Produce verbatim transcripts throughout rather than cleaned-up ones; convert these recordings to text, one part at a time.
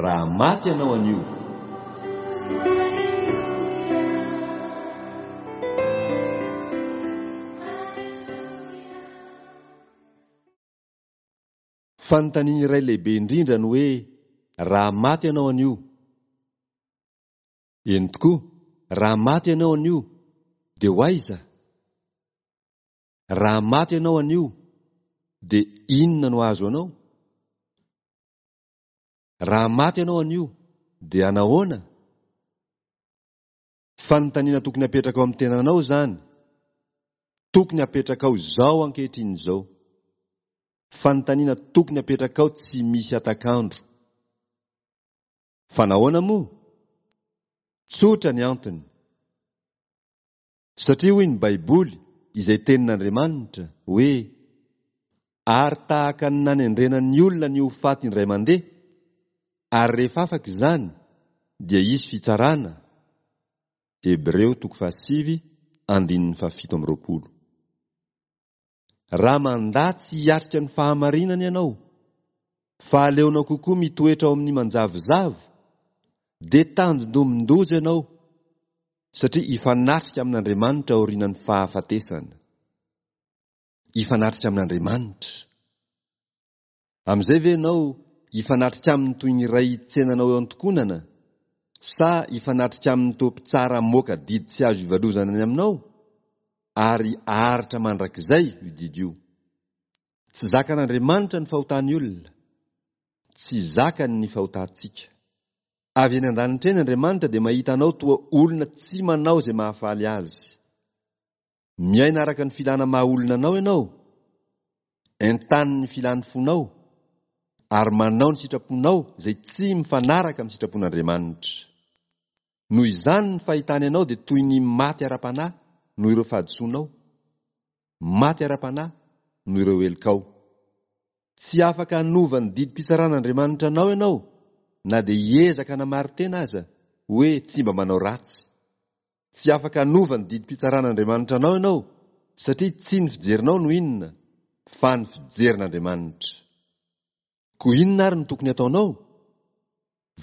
Raha maty ianao anio. Fanontaniana iray lehibe indrindra ny hoe raha maty ianao anio. Eny tokoa, raha maty ianao anio, dia ho aiza? Raha maty ianao anio, dia inona no azo anao? Raha maty ianao anio, dia anahoana? Fanontaniana tokony apetraka ao amin'ny tenanao izany. Tokony apetrakao izao ankehitriny izao. Fanontaniana tokony apetrakao tsy misy atakandro. Fa nahoana moa? Tsotra ny antony. Satria hoy ny Baiboly, izay tenin'Andriamanitra, hoe ary tahaka ny nanendrena ny olona ny ho faty indray mandeha, ary rehefa afaka izany, dia hisy fitsarana. Hebreo toko fahasivy, andininy fahafito amby roapolo. Raha mandà tsy hiatrika ny fahamarinana ianao, fa aleonao kokoa mitoetra ao amin'ny manjavozavo, dia tandindomin-doza ianao, satria hifanatrika amin'Andriamanitra aorian'ny fahafatesana. Hifanatrika amin'Andriamanitra. Amin'izay ve ianao hifanatrika aminy toy ny iray hitsenanao eo an-tokonana, sa hifanatrika aminy toa mpitsara hamoaka didy tsy azo ivalozana ny aminao, ary haharitra mandrakizay io didy io? Tsy zakan'Andriamanitra ny fahotan'ny olona. Tsy zakany ny fahotantsika. Avy eny an-danitra eny Andriamanitra dia mahita anao toa olona tsy manao izay mahafaly azy. Miaina araka ny filana maha olona anao ianao, entanin'ny filan'ny fonao, ary manao ny sitraponao izay tsy mifanaraka amin'ny sitrapon'Andriamanitra. Noho izany ny fahitany anao dia toy ny maty ara-panahy noho ireo fahadisoanao, maty ara-panahy noho ireo helokao. Tsy afaka hanova ny didim-pitsaran'Andriamanitra anao ianao na dia hiezaka hanamari-tena aza hoe tsy mba manao ratsy. Tsy afaka hanova ny didim-pitsaran'Andriamanitra anao ianao satria tsy ny fijerinao no inona fa ny fijerin'Andriamanitra. Koa inona ary no tokony ataonao?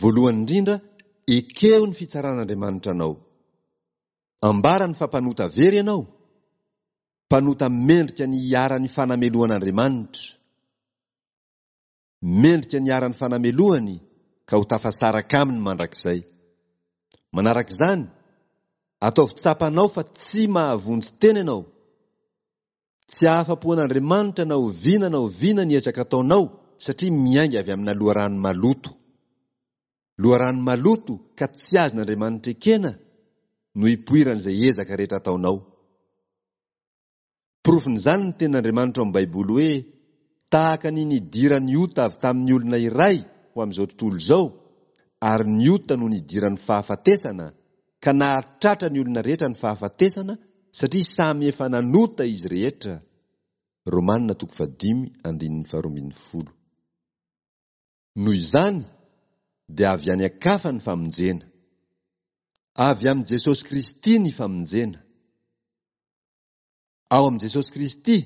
Voalohany indrindra, ekeo ny fitsaran'Andriamanitra anao. Ambarany fa mpanota very ianao, mpanota mendrika ny hiharan'ny fanamelohan'Andriamanitra. Mendrika ny hiharan'ny fanamelohany ka ho tafasaraka aminy mandrakizay. Manaraka izany, ataovy tsapanao fa tsy mahavonjy tena ianao. Tsy hahafa-po an'Andriamanitra na oviana na oviana ny ezaka ataonao satria miainga avy amina loharano maloto. Loharano maloto ka tsy azon'Andriamanitra ekena no ipoiran'izay ezaka rehetra ataonao. Porofon'izany ny tenin'Andriamanitra ao amin'ny Baiboly hoe tahaka ny nidiran'ny ota avy tamin'ny olona iray ho amin'izao tontolo izao, ary ny ota no nidiran'ny fahafatesana, ka nahatratra ny olona rehetra ny fahafatesana satria samy efa nanota izy rehetra. Romana toko fahadimy andininy faharoa ambin'ny folo. Noho izany dia avy any an-kafa ny famonjena. Avy amin'i Jesosy Kristy ny famonjena. Ao amin'i Jesosy Kristy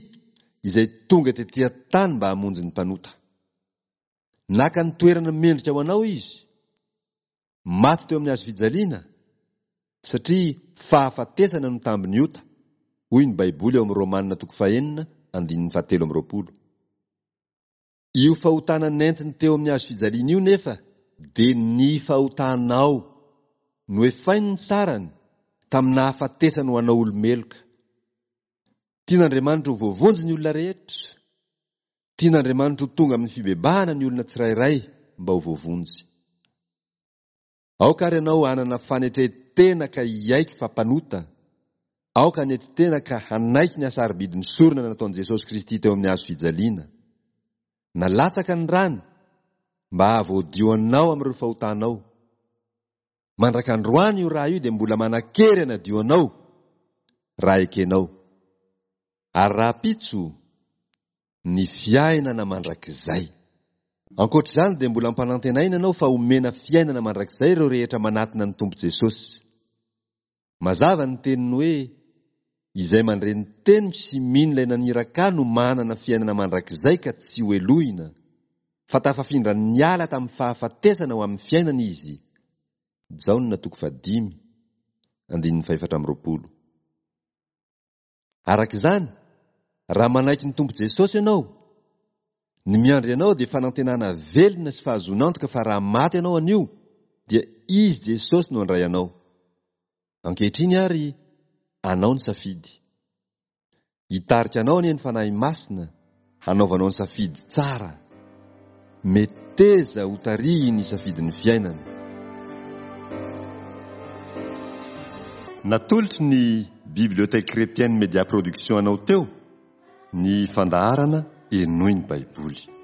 izay tonga tetỳ an-tany mba hamonjy ny mpanota. Naka ny toerana mendrika ho anao izy. Maty teo amin'ny hazo fijaliana satria fahafatesana no tambin'ny ota, hoy ny Baiboly ao amin'ny Romana toko fahenina andininy fahatelo amby roapolo. Io fahotana nentiny teo amin'ny hazo fijaliana io nefa dia ny fahotanao noefainy ny sarany tamin'ny nahafatesany ho anao olo-meloka. Tian'Andriamanitra ho voavonjy ny olona rehetra. Tian'Andriamanitra ho tonga amin'ny fibebahana ny olona tsirairay mba ho voavonjy. Aoka ary ianao hanana fanetren-tena ka hiaiky fa mpanota. Aoka hanetry tena ka hanaiky ny hasarobidin'ny sorona nataon'i Jesosy Kristy teo amin'ny hazo fijaliana. Nalatsaka ny rany mba hahavoadio anao amin'ireo fahotanao. Mandrak'androany io rà io dia mbola manan-kery hanadio anao raha ekenao. Ary rahampitso, ny fiainana mandrakizay. Ankoatra izany dia mbola ampanantenaina ianao fa homena fiainana mandrakizay ireo rehetra manatona ny Tompo Jesosy. Mazava ny teniny hoe izay mandre ny teniko sy mino ilay naniraka ahy no manana fiainana mandrakizay ka tsy hohelohina, fa tafafindra niala tamin'ny fahafatesana ho amin'ny fiainana izy. Jaona toko fahadimy, andininy fahefatra amby roapolo. Araka izany, raha manaiky ny Tompo Jesosy ianao, ny miandry anao dia fanantenana velona sy fahazoan'antoka fa raha maty ianao anio, dia Izy Jesosy no handray anao. Ankehitriny ary, anao ny safidy. Hitarika anao anie ny Fanahy Masina hanaovanao ny safidy tsara. Meteza ho tarihin'ny safidin'ny fiainana. Natolotry ny Bibliothèque Chrétienne Média Production anao teo ny fandaharana Henoy ny Baiboly.